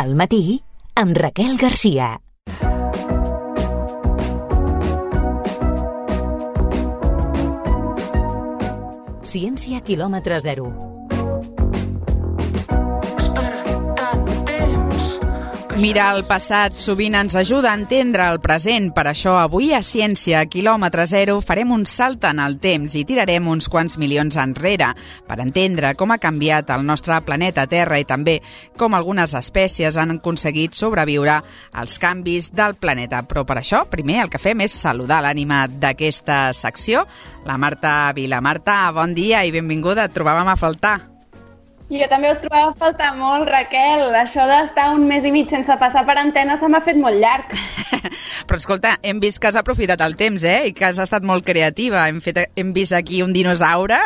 Al matí, amb Raquel Garcia. Ciència quilòmetre zero. Mirar el passat sovint ens ajuda a entendre el present. Per això avui a Ciència quilòmetre zero farem un salt en el temps i tirarem uns quants milions enrere per entendre com ha canviat el nostre planeta Terra i també com algunes espècies han aconseguit sobreviure als canvis del planeta. Però per això, primer el que fem és saludar l'ànima d'aquesta secció, la Marta Vila. Marta, bon dia i benvinguda. Et trobàvem a faltar. Jo també us trobava a faltar molt, Raquel. Això d'estar un mes i mig sense passar per antena se m'ha fet molt llarg. Però escolta, hem vist que has aprofitat el temps, i que has estat molt creativa. Hem vist aquí un dinosaure,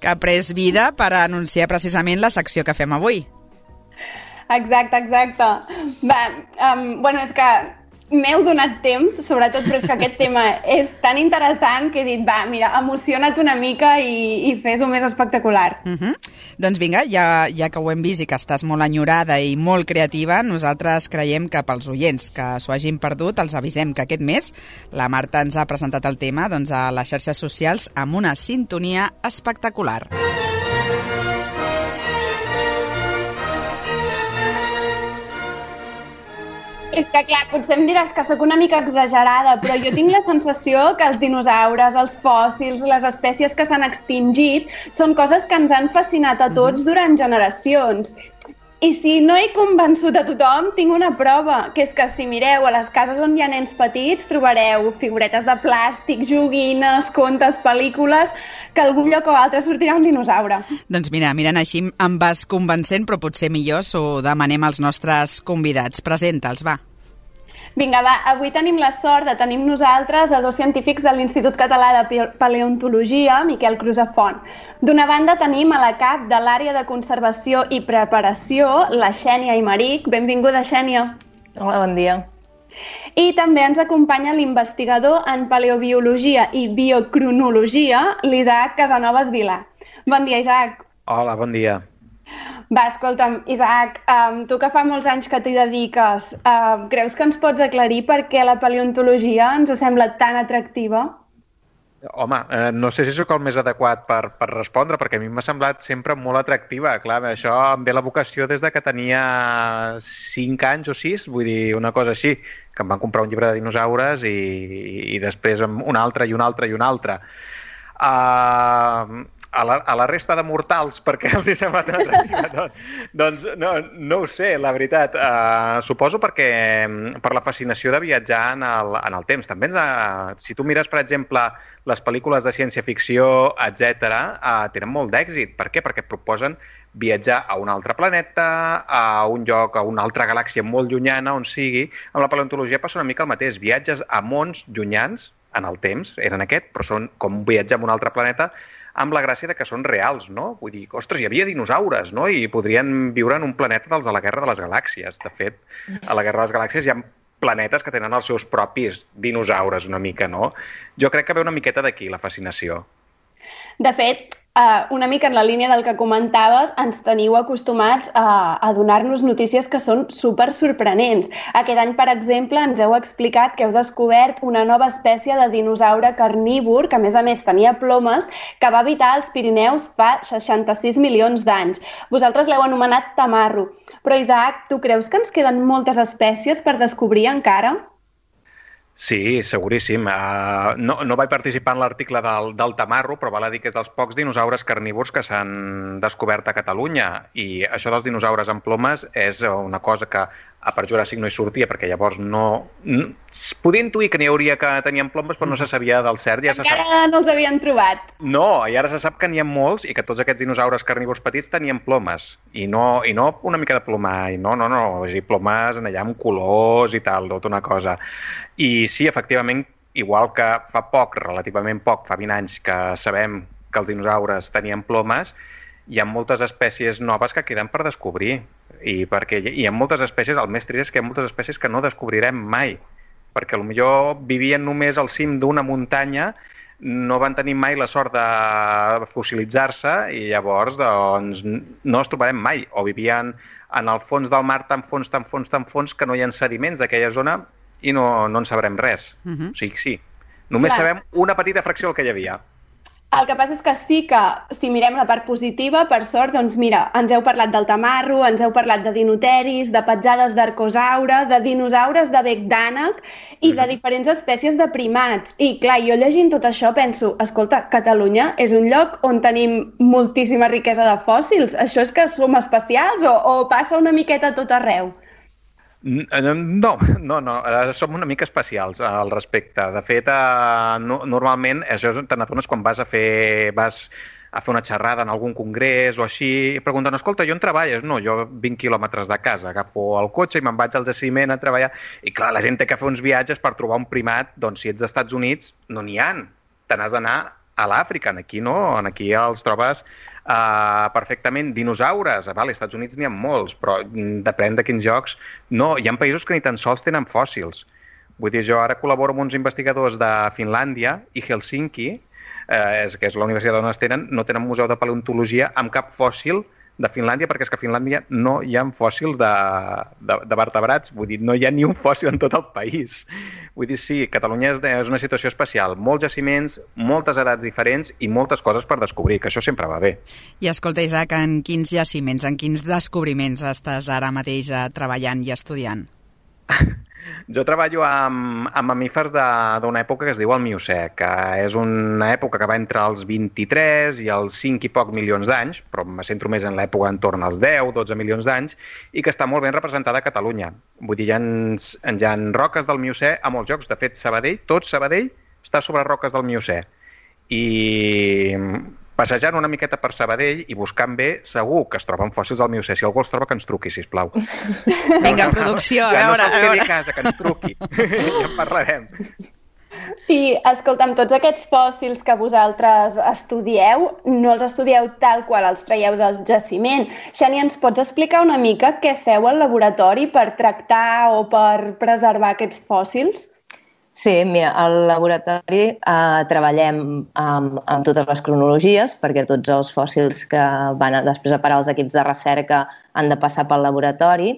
que ha pres vida per anunciar precisament la secció que fem avui. Exacte. Bueno, és que m'heu donat temps, sobretot, però és que aquest tema és tan interessant que he dit, mira, emociona't una mica i fes-ho més espectacular. Doncs vinga, ja que ho hem vist i que estàs molt enyorada i molt creativa, nosaltres creiem que pels oients que s'ho hagin perdut els avisem que aquest mes la Marta ens ha presentat el tema a les xarxes socials amb una sintonia espectacular. És que, clar, potser em diràs que sóc una mica exagerada, però jo tinc la sensació que els dinosaures, els fòssils, les espècies que s'han extingit, són coses que ens han fascinat a tots durant generacions. I si no he convençut a tothom, tinc una prova, que és que si mireu a les cases on hi ha nens petits, trobareu figuretes de plàstic, joguines, contes, pel·lícules, que a algun lloc o altre sortirà un dinosaure. Doncs mira, mirant així em vas convencent, però potser millor s'ho demanem als nostres convidats. Presenta'ls, va. Vinga, avui tenim la sort de tenir amb nosaltres a dos científics de l'Institut Català de Paleontologia, Miquel Crusafont. D'una banda tenim a la cap de l'àrea de conservació i preparació, la Xènia Aymeric. Benvinguda, Xènia. Hola, bon dia. I també ens acompanya l'investigador en paleobiologia i biocronologia, l'Isaac Casanovas Vilà. Bon dia, Isaac. Hola, bon dia. Escolta'm, Isaac, tu que fa molts anys que t'hi dediques, creus que ens pots aclarir per què la paleontologia ens sembla tan atractiva? Home, no sé si sóc el més adequat per respondre, perquè a mi m'ha semblat sempre molt atractiva. Clar, això em ve la vocació des de que tenia 5 anys o 6, vull dir, una cosa així, que em van comprar un llibre de dinosaures i després un altre i un altre i un altre. A la resta de mortals, perquè els hi sembla tan atractiva? Doncs no ho sé, la veritat. Suposo per la fascinació de viatjar en el temps. També si tu mires, per exemple, les pel·lícules de ciència-ficció, etc., tenen molt d'èxit. Per què? Perquè proposen viatjar a un altre planeta, a un lloc, a una altra galàxia molt llunyana, on sigui. Amb la paleontologia passa una mica el mateix. Viatges a mons llunyans, en el temps, eren aquest, però són com viatjar a un altre planeta, amb la gràcia que són reals, no? Vull dir, ostres, hi havia dinosaures, no? I podrien viure en un planeta dels de la Guerra de les Galàxies. De fet, a la Guerra de les Galàxies hi ha planetes que tenen els seus propis dinosaures, una mica, no? Jo crec que ve una miqueta d'aquí, la fascinació. De fet, una mica en la línia del que comentaves, ens teniu acostumats a donar-nos notícies que són super sorprenents. Aquest any, per exemple, ens heu explicat que heu descobert una nova espècie de dinosaure carnívor, que a més tenia plomes, que va habitar als Pirineus fa 66 milions d'anys. Vosaltres l'heu anomenat tamarro. Però, Isaac, tu creus que ens queden moltes espècies per descobrir encara? Sí, seguríssim. No vaig participar en l'article del tamarro, però val a dir que és dels pocs dinosaures carnívors que s'han descobert a Catalunya. I això dels dinosaures amb plomes és una cosa que a per Juràssic no hi sortia, perquè llavors es podia intuir que n'hi hauria que tenien plomes, però no se sabia del cert. Encara no els havien trobat. No, i ara se sap que n'hi ha molts i que tots aquests dinosaures carnívors petits tenien plomes. I no una mica de plomall, no. És a dir, plomes allà amb colors i tal, tota una cosa. I sí, efectivament, igual que fa relativament poc, fa 20 anys que sabem que els dinosaures tenien plomes, hi ha moltes espècies noves que queden per descobrir. I perquè hi ha moltes espècies, el més trist és que hi ha moltes espècies que no descobrirem mai, perquè potser vivien només al cim d'una muntanya, no van tenir mai la sort de fossilitzar-se i llavors doncs, no els trobarem mai, o vivien en el fons del mar tan fons, que no hi ha sediments d'aquella zona i no en sabrem res. O sigui, sí. Només sabem una petita fracció del que hi havia. El que passa és que sí que, si mirem la part positiva, per sort, doncs mira, ens heu parlat del tamarro, ens heu parlat de dinoteris, de petjades d'arcosaure, de dinosaures de bec d'ànec i de diferents espècies de primats. I clar, jo llegint tot això penso, escolta, Catalunya és un lloc on tenim moltíssima riquesa de fòssils. Això és que som especials o passa una miqueta a tot arreu? No, som una mica especials al respecte. De fet, normalment, això te n'adones quan vas a fer una xerrada en algun congrés o així, i pregunten, escolta, i on treballes? No, jo 20 quilòmetres de casa, agafo el cotxe i me'n vaig al jaciment a treballar. I clar, la gent té que fer uns viatges per trobar un primat, doncs si ets dels Estats Units, no n'hi ha. Te n'has d'anar a l'Àfrica, aquí no, aquí els trobes perfectament. Dinosaures, als Estats Units n'hi ha molts, però depèn de quins llocs. No, hi ha països que ni tan sols tenen fòssils. Vull dir, jo ara col·laboro amb uns investigadors de Finlàndia i Helsinki, que és la universitat on es tenen, no tenen museu de paleontologia amb cap fòssil de Finlàndia, perquè és que a Finlàndia no hi ha fòssils de vertebrats, vull dir, no hi ha ni un fòssil en tot el país. Vull dir, sí, Catalunya és una situació especial, molts jaciments, moltes edats diferents i moltes coses per descobrir, que això sempre va bé. I escolta, Isaac, en quins jaciments, en quins descobriments estàs ara mateix treballant i estudiant? Jo treballo amb mamífers d'una època que es diu el Miocè, que és una època que va entre els 23 i els 5 i poc milions d'anys, però me centro més en l'època entorn als 10-12 milions d'anys, i que està molt ben representada a Catalunya. Vull dir, hi ha roques del Miocè a molts llocs. De fet, tot Sabadell està sobre roques del Miocè. I passejant una miqueta per Sabadell i buscant bé, segur que es troben fòssils del Miocè. Si algú els troba, que ens truqui, sisplau. Vinga, producció, a veure. Que no se'ls quedi a casa, que ens truqui. Ja en parlarem. I, escolta'm, tots aquests fòssils que vosaltres estudieu, no els estudieu tal qual els traieu del jaciment. Xènia, ens pots explicar una mica què feu al laboratori per tractar o per preservar aquests fòssils? Sí, mira, al laboratori treballem amb totes les cronologies, perquè tots els fòssils que van després a parar als equips de recerca han de passar pel laboratori.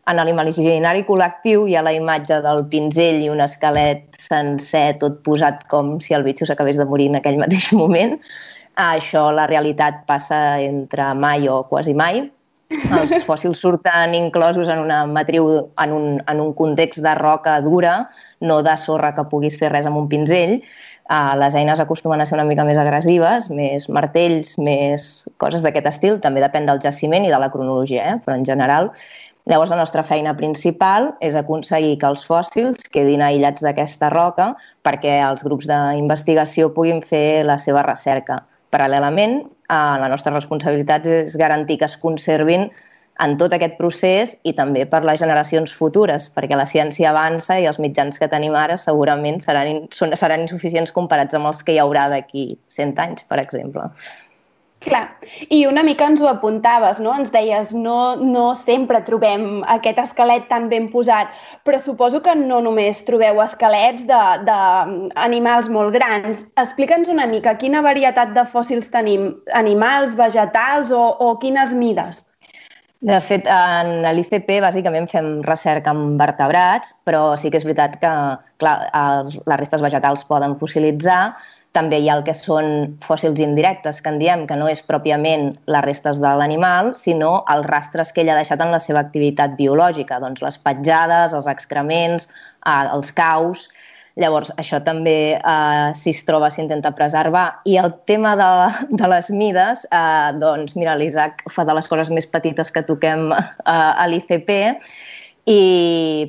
En l'imaginari col·lectiu hi ha la imatge del pinzell i un esquelet sencer, tot posat com si el bitxo s'acabés de morir en aquell mateix moment. Això, la realitat, passa entre mai o quasi mai. Els fòssils surten inclosos en una matriu, en un context de roca dura, no de sorra que puguis fer res amb un pinzell. Les eines acostumen a ser una mica més agressives, més martells, més coses d'aquest estil. També depèn del jaciment i de la cronologia, però en general. Llavors, la nostra feina principal és aconseguir que els fòssils quedin aïllats d'aquesta roca perquè els grups d'investigació puguin fer la seva recerca. Paral·lelament, la nostra responsabilitat és garantir que es conservin en tot aquest procés i també per les generacions futures, perquè la ciència avança i els mitjans que tenim ara segurament seran insuficients comparats amb els que hi haurà d'aquí 100 anys, per exemple. Clar, i una mica ens ho apuntaves, no? Ens deies, no sempre trobem aquest esquelet tan ben posat, però suposo que no només trobeu esquelets d'animals molt grans. Explica'ns una mica quina varietat de fòssils tenim, animals, vegetals o quines mides? De fet, en l'ICP bàsicament fem recerca amb vertebrats, però sí que és veritat que clar, les restes vegetals poden fossilitzar. També hi ha el que són fòssils indirectes, que en diem que no és pròpiament les restes de l'animal, sinó els rastres que ell ha deixat en la seva activitat biològica, doncs les petjades, els excrements, els caus. Llavors, això també, si es troba, s'intenta preservar. I el tema de les mides, doncs, mira, l'Isaac fa de les coses més petites que toquem a l'ICP,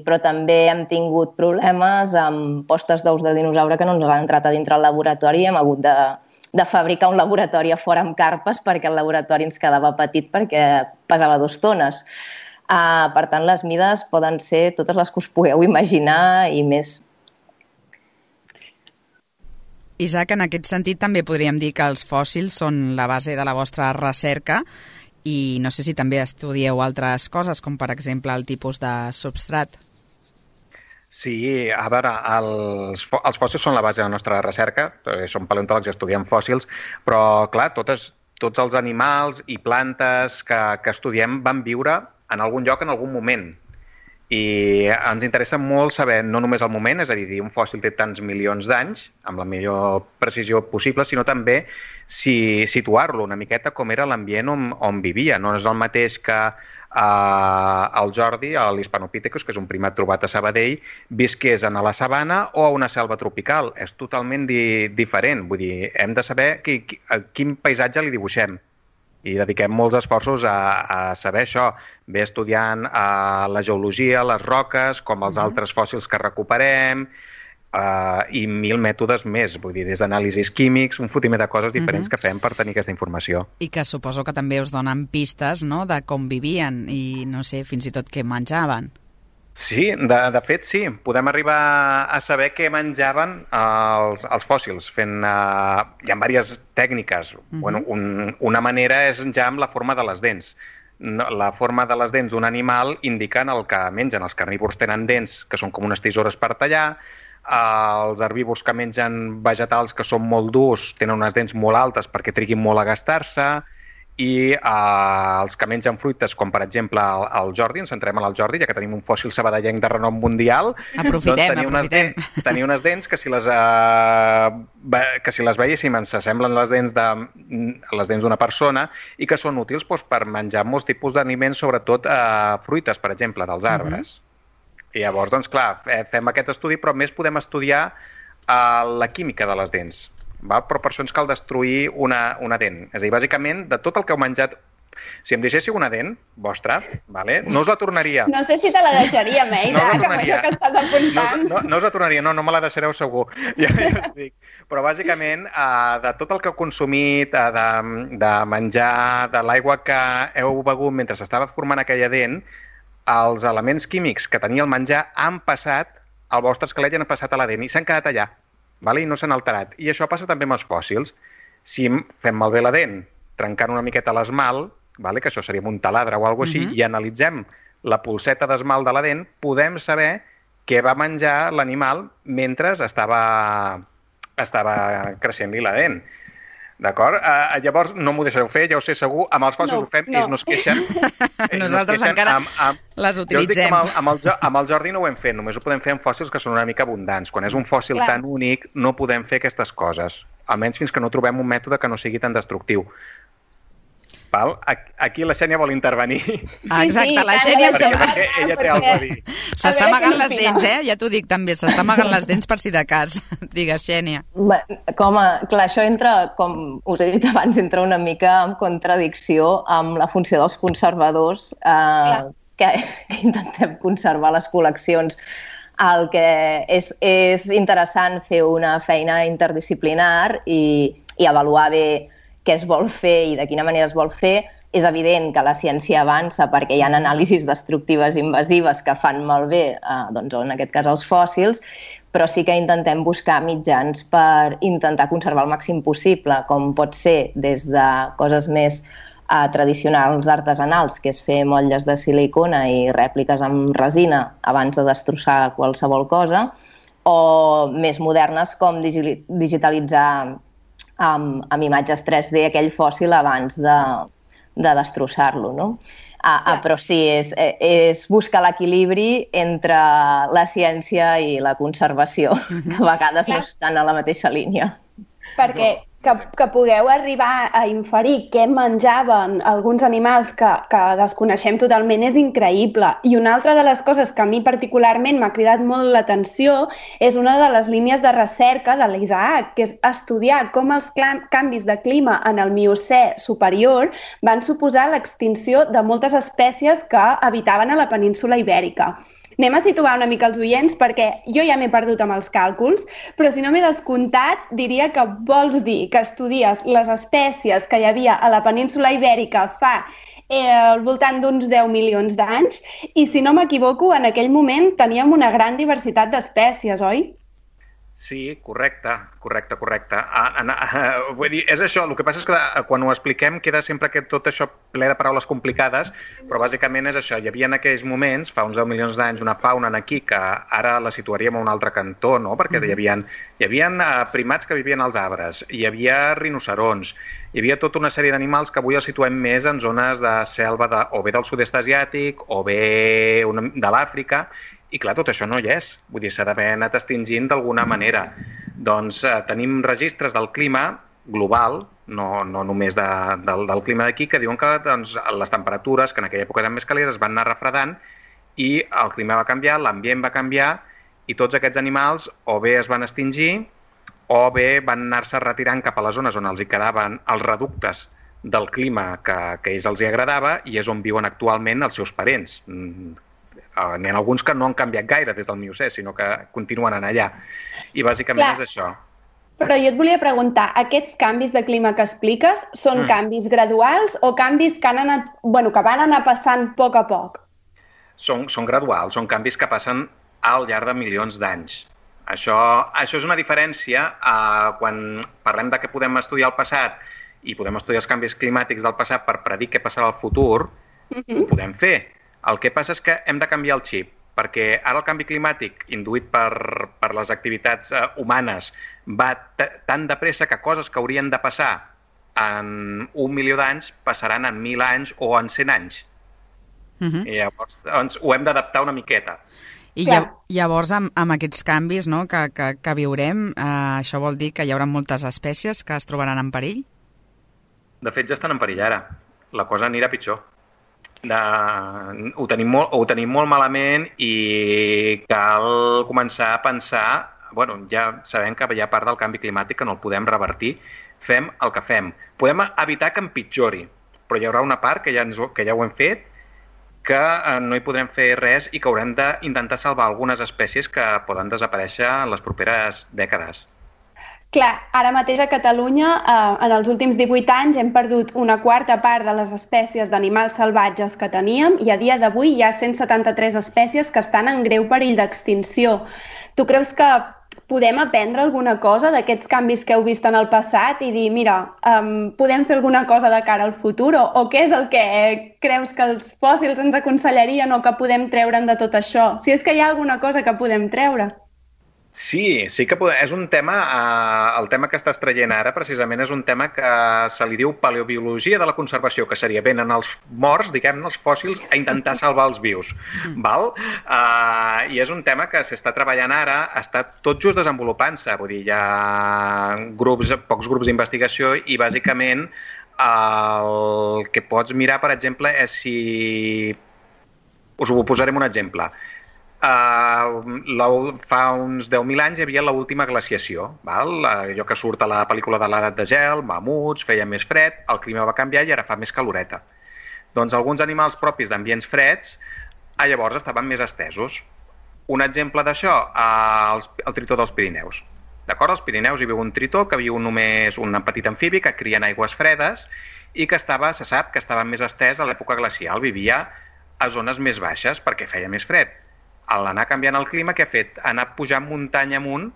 però també hem tingut problemes amb postes d'ous de dinosaure que no ens han entrat a dintre el laboratori i hem hagut de fabricar un laboratori a fora amb carpes perquè el laboratori ens quedava petit perquè pesava 2 tones. Per tant, les mides poden ser totes les que us pugueu imaginar i més. Isaac, en aquest sentit també podríem dir que els fòssils són la base de la vostra recerca i no sé si també estudieu altres coses, com per exemple el tipus de substrat. Sí, a veure, els fòssils són la base de la nostra recerca, som paleontòlegs i estudiem fòssils, però clar, tots els animals i plantes que estudiem van viure en algun lloc, en algun moment. I ens interessa molt saber no només el moment, és a dir, un fòssil té tants milions d'anys, amb la millor precisió possible, sinó també situar-lo una miqueta com era l'ambient on vivia. No és el mateix que el Jordi, l'Hispanopithecus, que és un primat trobat a Sabadell, visqués a la sabana o a una selva tropical. És totalment diferent. Vull dir, hem de saber quin paisatge li dibuixem. I dediquem molts esforços a saber això, bé estudiant la geologia, les roques, com els altres fòssils que recuperem, i 1000 mètodes més, vull dir, des d'anàlisis químics, un fotimer de coses diferents que fem per tenir aquesta informació. I que suposo que també us donen pistes, no?, de com vivien i, no sé, fins i tot què menjaven. Sí, de fet sí. Podem arribar a saber què menjaven els fòssils fent... Hi ha diverses tècniques. Bueno, una manera és ja amb la forma de les dents. La forma de les dents d'un animal indiquen el que mengen. Els carnívors tenen dents que són com unes tisores per tallar, els herbívors que mengen vegetals que són molt durs tenen unes dents molt altes perquè triguin molt a gastar-se, i els que mengen fruites, com per exemple el Jordi, ens centrem en el Jordi, ja que tenim un fòssil sabadellenc de renom mundial, aprofitem. Tenir unes dents que si les veiéssim ens semblen les dents d'una persona i que són útils per menjar molts tipus d'aliments, sobretot fruites, per exemple, dels arbres. I llavors, doncs clar, fem aquest estudi, però més podem estudiar la química de les dents. Però per això ens cal destruir una dent. És a dir, bàsicament, de tot el que heu menjat, si em deixéssiu una dent vostra, no us la tornaria. No sé si te la deixaria, Meida, que amb això que estàs apuntant. No us la tornaria, no me la deixareu segur. Ja us dic. Però bàsicament, de tot el que heu consumit, de menjar, de l'aigua que heu begut mentre s'estava formant aquella dent, els elements químics que tenia el menjar han passat al vostre esquelet i han passat a la dent i s'han quedat allà. I no s'han alterat. I això passa també amb els fòssils. Si fem malbé la dent, trencant una miqueta l'esmalt, que això seria un taladre o alguna cosa així, i analitzem la polseta d'esmalt de la dent, podem saber què va menjar l'animal mentre estava creixent-li la dent. D'acord? Llavors, no m'ho deixareu fer, ja ho sé segur. Amb els fòssils ho fem, ells no es queixen. Nosaltres encara les utilitzem. Amb el Jordi no ho hem fet, només ho podem fer amb fòssils que són una mica abundants. Quan és un fòssil tan únic, no podem fer aquestes coses. Almenys fins que no trobem un mètode que no sigui tan destructiu. Aquí la Xènia vol intervenir. Exacte, la Xènia em sembla que ella té alguna cosa a dir. S'està amagant les dents, ja t'ho dic també, s'està amagant les dents per si de cas. Digues, Xènia. Clar, això entra, com us he dit abans, entra una mica en contradicció amb la funció dels conservadors que intentem conservar les col·leccions. El que és interessant fer una feina interdisciplinar i avaluar bé què es vol fer i de quina manera es vol fer. És evident que la ciència avança perquè hi ha anàlisis destructives invasives que fan malbé, en aquest cas els fòssils, però sí que intentem buscar mitjans per intentar conservar el màxim possible, com pot ser des de coses més tradicionals artesanals, que és fer motlles de silicona i rèpliques amb resina abans de destrossar qualsevol cosa, o més modernes com digitalitzar amb imatges 3D aquell fòssil abans de destrossar-lo, no? Però sí, és buscar l'equilibri entre la ciència i la conservació, que a vegades no estan a la mateixa línia. Perquè que pugueu arribar a inferir què menjaven alguns animals que desconeixem totalment és increïble. I una altra de les coses que a mi particularment m'ha cridat molt l'atenció és una de les línies de recerca de l'Isaac, que és estudiar com els canvis de clima en el Miocè superior van suposar l'extinció de moltes espècies que habitaven a la península Ibèrica. Anem a situar una mica els oients perquè jo ja m'he perdut amb els càlculs, però si no m'he descomptat, diria que vols dir que estudies les espècies que hi havia a la península Ibèrica fa al voltant d'uns 10 milions d'anys i, si no m'equivoco, en aquell moment teníem una gran diversitat d'espècies, oi? Sí, correcte. Vull dir, és això, el que passa és que quan ho expliquem queda sempre tot això ple de paraules complicades, però bàsicament és això, hi havia en aquells moments, fa uns 10 milions d'anys, una fauna aquí que ara la situaríem a un altre cantó, no? Perquè hi havia primats que vivien als arbres, hi havia rinocerons, hi havia tota una sèrie d'animals que avui els situem més en zones de selva o bé del sud-est asiàtic o bé de l'Àfrica. I clar, tot això no hi és. Vull dir, s'ha d'haver anat extingint d'alguna manera. Doncs tenim registres del clima global, no només del clima d'aquí, que diuen que les temperatures, que en aquella època eren més càlides, es van anar refredant i el clima va canviar, l'ambient va canviar i tots aquests animals o bé es van extingir o bé van anar-se retirant cap a les zones on els hi quedaven els reductes del clima que a ells els hi agradava i és on viuen actualment els seus parents. N'hi ha alguns que no han canviat gaire des del Miocè, sinó que continuen en allà. I bàsicament és això. Però jo et volia preguntar, aquests canvis de clima que expliques són canvis graduals o canvis que van anar passant a poc? Són graduals, són canvis que passen al llarg de milions d'anys. Això és una diferència quan parlem de que podem estudiar el passat i podem estudiar els canvis climàtics del passat per predir què passarà al futur, ho podem fer. El que passa és que hem de canviar el xip, perquè ara el canvi climàtic induït per les activitats humanes va tan de pressa que coses que haurien de passar en 1 milió d'anys passaran en 1.000 anys o en 100 anys. I llavors ho hem d'adaptar una miqueta. I llavors amb aquests canvis que viurem, això vol dir que hi haurà moltes espècies que es trobaran en perill? De fet, ja estan en perill ara. La cosa anirà pitjor. Ho tenim molt malament i cal començar a pensar, ja sabem que hi ha part del canvi climàtic que no el podem revertir, fem el que fem. Podem evitar que empitjori, però hi haurà una part que ja ho hem fet, que no hi podrem fer res i que haurem d'intentar salvar algunes espècies que poden desaparèixer en les properes dècades. Clar, ara mateix a Catalunya, en els últims 18 anys, hem perdut una quarta part de les espècies d'animals salvatges que teníem i a dia d'avui hi ha 173 espècies que estan en greu perill d'extinció. Tu creus que podem aprendre alguna cosa d'aquests canvis que heu vist en el passat i dir, mira, podem fer alguna cosa de cara al futur? O què és el que creus que els fòssils ens aconsellarien o que podem treure'n de tot això? Si és que hi ha alguna cosa que podem treure. Sí que és un tema, el tema que estàs traient ara precisament és un tema que se li diu paleobiologia de la conservació, que seria venen els morts, diguem-ne, els fòssils, a intentar salvar els vius. Val? I és un tema que s'està treballant ara, està tot just desenvolupant-se, vull dir, hi ha pocs grups d'investigació i bàsicament el que pots mirar, per exemple, és si... Us ho posarem un exemple. Fa uns 10.000 anys hi havia l'última glaciació, allò que surt a la pel·lícula de l'edat de gel, mamuts, feia més fred, el clima va canviar i ara fa més caloreta. Doncs alguns animals propis d'ambients freds llavors estaven més estesos. Un exemple d'això, el tritó dels Pirineus. D'acord? Als Pirineus hi viu un tritó que viu només un petit amfibi que cria en aigües fredes i que se sap que estava més estès a l'època glacial, vivia a zones més baixes perquè feia més fred. A l'anar canviant el clima, què ha fet? Ha anat pujant muntanya amunt,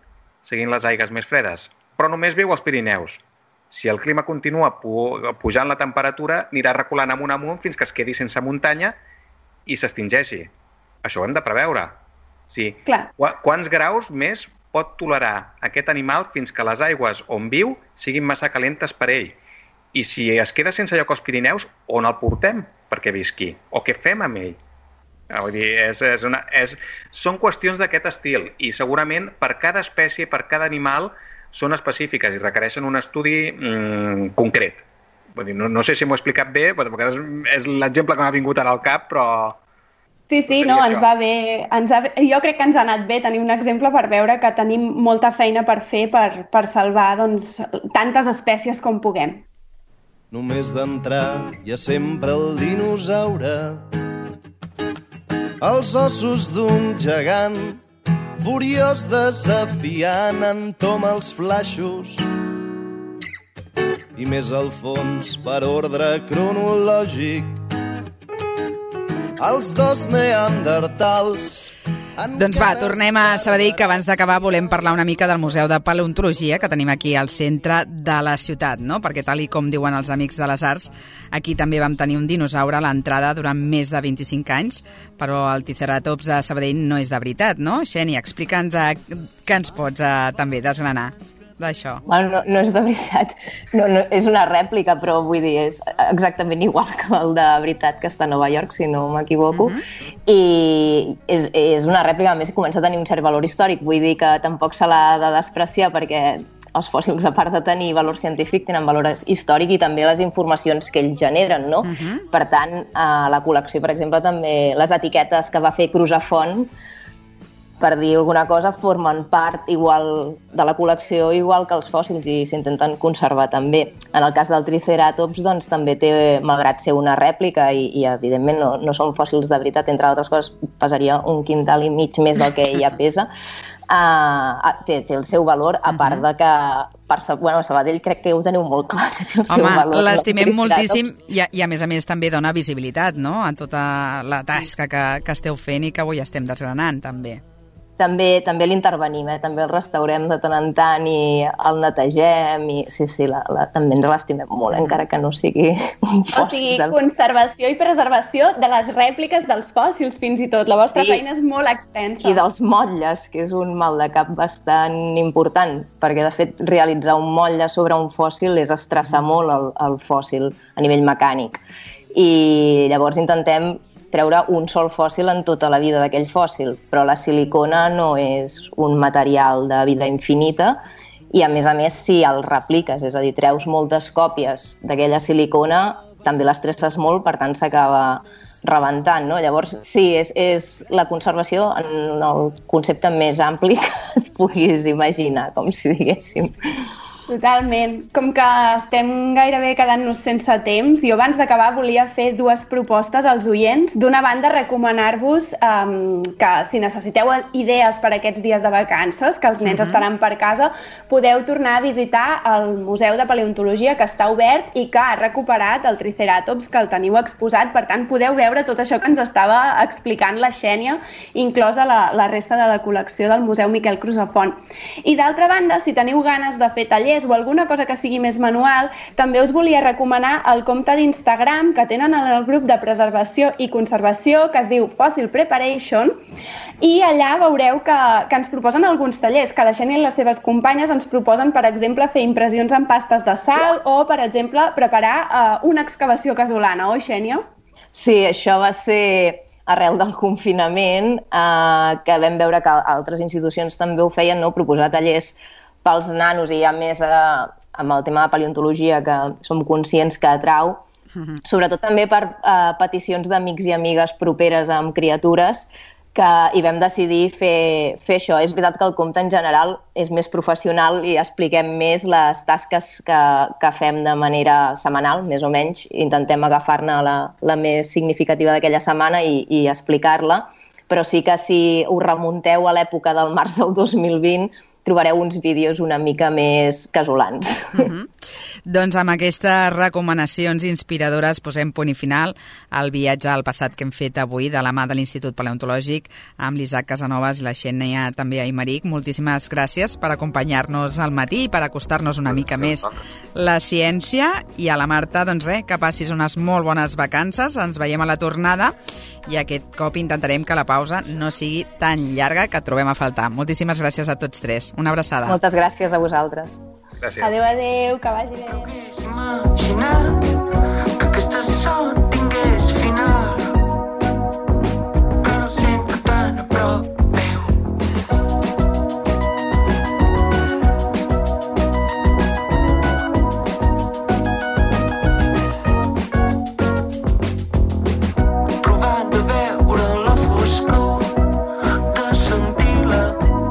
seguint les aigues més fredes. Però només viu als Pirineus. Si el clima continua pujant la temperatura, anirà reculant amunt fins que es quedi sense muntanya i s'extingeixi. Això ho hem de preveure. Sí. Quants graus més pot tolerar aquest animal fins que les aigües on viu siguin massa calentes per ell? I si es queda sense lloc als Pirineus, on el portem perquè visqui? O què fem amb ell? Vull dir, són qüestions d'aquest estil i segurament per cada espècie, per cada animal són específiques i requereixen un estudi concret. Vull dir, no sé si m'ho he explicat bé, perquè és l'exemple que m'ha vingut ara al cap, però... Sí, ens va bé. Jo crec que ens ha anat bé tenir un exemple per veure que tenim molta feina per fer per salvar tantes espècies com puguem. Només d'entrar hi ha sempre el dinosaure, els ossos d'un gegant, furiós desafiant, entoma els flaixos. I més al fons, per ordre cronològic, els dos neandertals Doncs va, tornem a Sabadell, que abans d'acabar volem parlar una mica del Museu de Paleontologia que tenim aquí al centre de la ciutat, no? Perquè tal i com diuen els amics de les arts, aquí també vam tenir un dinosaure a l'entrada durant més de 25 anys, però el Triceratops de Sabadell no és de veritat, no? Xènia, explica'ns què ens pots també desgranar d'això. Bueno, no és de veritat, no, és una rèplica, però vull dir, és exactament igual que el de veritat que està a Nova York, si no m'equivoco, i és una rèplica, a més comença a tenir un cert valor històric, vull dir que tampoc se l'ha de despreciar perquè els fòssils, a part de tenir valor científic, tenen valor històric i també les informacions que ells generen, no? Per tant, a la col·lecció, per exemple, també les etiquetes que va fer Crusafont, per dir alguna cosa, formen part igual de la col·lecció igual que els fòssils i s'intenten conservar també. En el cas del Triceratops, doncs, també té, malgrat ser una rèplica i evidentment no són fòssils de veritat, entre altres coses, pesaria 1,5 quintals més del que ja pesa, té el seu valor, a part de que a Sabadell crec que ho teniu molt clar, que té el seu valor. Home, l'estimem moltíssim i a més també dona visibilitat, no?, a tota la tasca que esteu fent i que avui estem desgranant, també. També l'intervenim, també el restaurem de tant en tant i el netegem i sí, també ens l'estimem molt, encara que no sigui un fòssil. O sigui, conservació i preservació de les rèpliques dels fòssils, fins i tot. La vostra feina és molt extensa. I dels motlles, que és un mal de cap bastant important, perquè de fet realitzar un motlle sobre un fòssil és estressar molt el fòssil a nivell mecànic. I llavors intentem treure un sol fòssil en tota la vida d'aquell fòssil, però la silicona no és un material de vida infinita i, a més, si el repliques, és a dir, treus moltes còpies d'aquella silicona, també l'estresses molt, per tant s'acaba rebentant, no? Llavors, sí, és la conservació en el concepte més ampli que et puguis imaginar, com si diguéssim. Totalment. Com que estem gairebé quedant-nos sense temps, jo abans d'acabar volia fer 2 propostes als oients. D'una banda, recomanar-vos que si necessiteu idees per aquests dies de vacances, que els nens estaran per casa, podeu tornar a visitar el Museu de Paleontologia, que està obert i que ha recuperat el Triceratops, que el teniu exposat. Per tant, podeu veure tot això que ens estava explicant la Xènia, inclosa la resta de la col·lecció del Museu Miquel Crusafont. I d'altra banda, si teniu ganes de fer tallers o alguna cosa que sigui més manual, també us volia recomanar el compte d'Instagram que tenen en el grup de preservació i conservació, que es diu Fossil Preparation, i allà veureu que ens proposen alguns tallers, que la Xènia i les seves companyes ens proposen, per exemple, fer impressions en pastes de sal o, per exemple, preparar una excavació casolana, oi, Xènia? Sí, això va ser arrel del confinament, que vam veure que altres institucions també ho feien, no? Proposar tallers pels nanos i a més amb el tema de paleontologia que som conscients que atrau, sobretot també per peticions d'amics i amigues properes amb criatures, i vam decidir fer això. És veritat que el compte en general és més professional i expliquem més les tasques que fem de manera setmanal, més o menys. Intentem agafar-ne la més significativa d'aquella setmana i explicar-la, però sí que si us remunteu a l'època del març del 2020 trobareu uns vídeos una mica més casolans. Doncs amb aquestes recomanacions inspiradores posem punt i final al viatge al passat que hem fet avui de la mà de l'Institut Paleontològic amb l'Isaac Casanovas i la Xènia també a Aimeric. Moltíssimes gràcies per acompanyar-nos al matí i per acostar-nos una mica més la ciència. I a la Marta, doncs res, que passis unes molt bones vacances. Ens veiem a la tornada i aquest cop intentarem que la pausa no sigui tan llarga que et trobem a faltar. Moltíssimes gràcies a tots 3. Una abraçada. Moltes gràcies a vosaltres. Gràcies. Adéu, que vagi bé. Imaginar que aquesta son tingués final, però sempre tan a prop meu. Provant de veure la foscor, de sentir la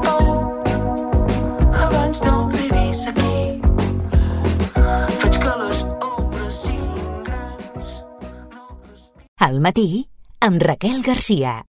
por, abans no arribis aquí. Al matí, amb Raquel Garcia.